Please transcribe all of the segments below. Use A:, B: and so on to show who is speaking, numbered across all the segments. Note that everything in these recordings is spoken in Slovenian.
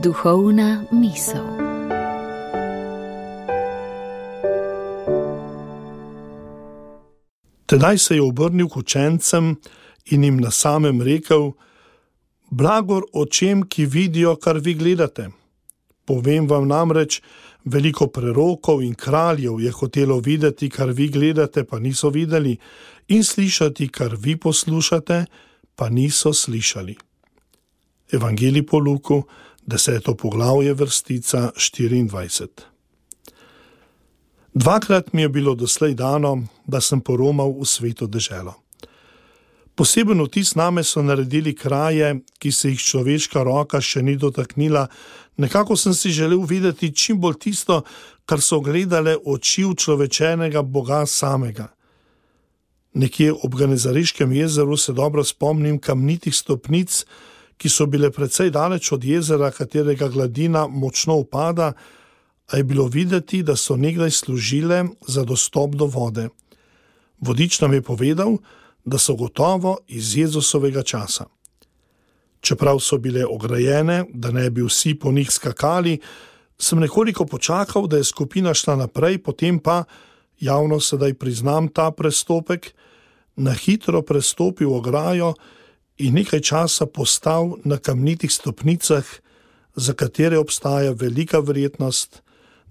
A: Duhovna misel.
B: Tedaj se je obrnil k učencem in jim na samem rekel: Blagor očem, ki vidijo, kar vi gledate. Povem vam namreč, veliko prerokov in kraljev je hotelo videti, kar vi gledate, pa niso videli, in slišati, kar vi poslušate, pa niso slišali. Evangelij po Luku, 10. poglavje, vrstica 24. Dvakrat mi je bilo doslej dano, da sem poromal v Sveto deželo. Poseben vtis name so naredili kraje, ki se jih človeška roka še ni dotaknila. Nekako sem si želel videti čim bolj tisto, kar so gledale oči učlovečenega Boga samega. Nekje ob Genezareškem jezeru se dobro spomnim kamnitih stopnic, ki so bile precej daleč od jezera, katerega gladina močno upada, a je bilo videti, da so nekdaj služile za dostop do vode. Vodič nam je povedal, da so gotovo iz Jezusovega časa. Čeprav so bile ograjene, da ne bi vsi po njih skakali, sem nekoliko počakal, da je skupina šla naprej, potem pa, javno sedaj priznam ta prestopek, na hitro prestopil ograjo in nekaj časa postal na kamnitih stopnicah, za katere obstaja velika verjetnost,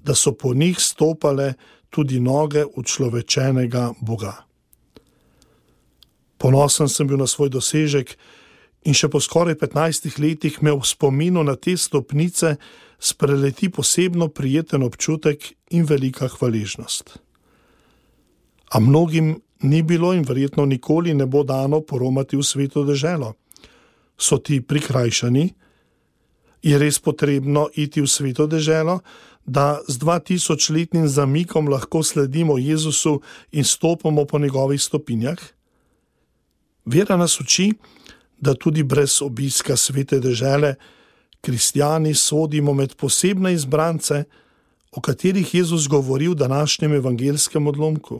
B: da so po njih stopale tudi noge učlovečenega Boga. Ponosen sem bil na svoj dosežek in še po skoraj 15 letih me v spominu na te stopnice spreleti posebno prijeten občutek in velika hvaležnost. A mnogim ni bilo in verjetno nikoli ne bo dano poromati v Sveto deželo. So ti prikrajšani? Je res potrebno iti v Sveto deželo, da z 2000-letnim zamikom lahko sledimo Jezusu in stopamo po njegovih stopinjah? Vera nas uči, da tudi brez obiska Svete dežele kristjani sodimo med posebne izbrance, o katerih Jezus govori v današnjem evangelskem odlomku.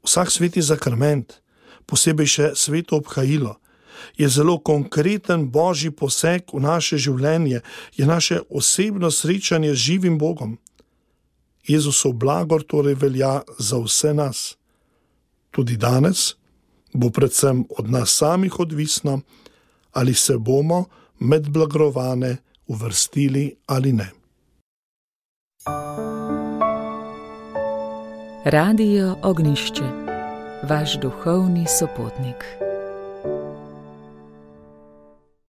B: Vsak sveti zakrament, posebej še sveto obhajilo, je zelo konkreten božji poseg v naše življenje, je naše osebno srečanje z živim Bogom. Jezusov blagor torej velja za vse nas. Tudi danes bo predvsem od nas samih odvisno, ali se bomo med blagrovane uvrstili ali ne.
A: Radio Ognjišče, vaš duhovni sopotnik.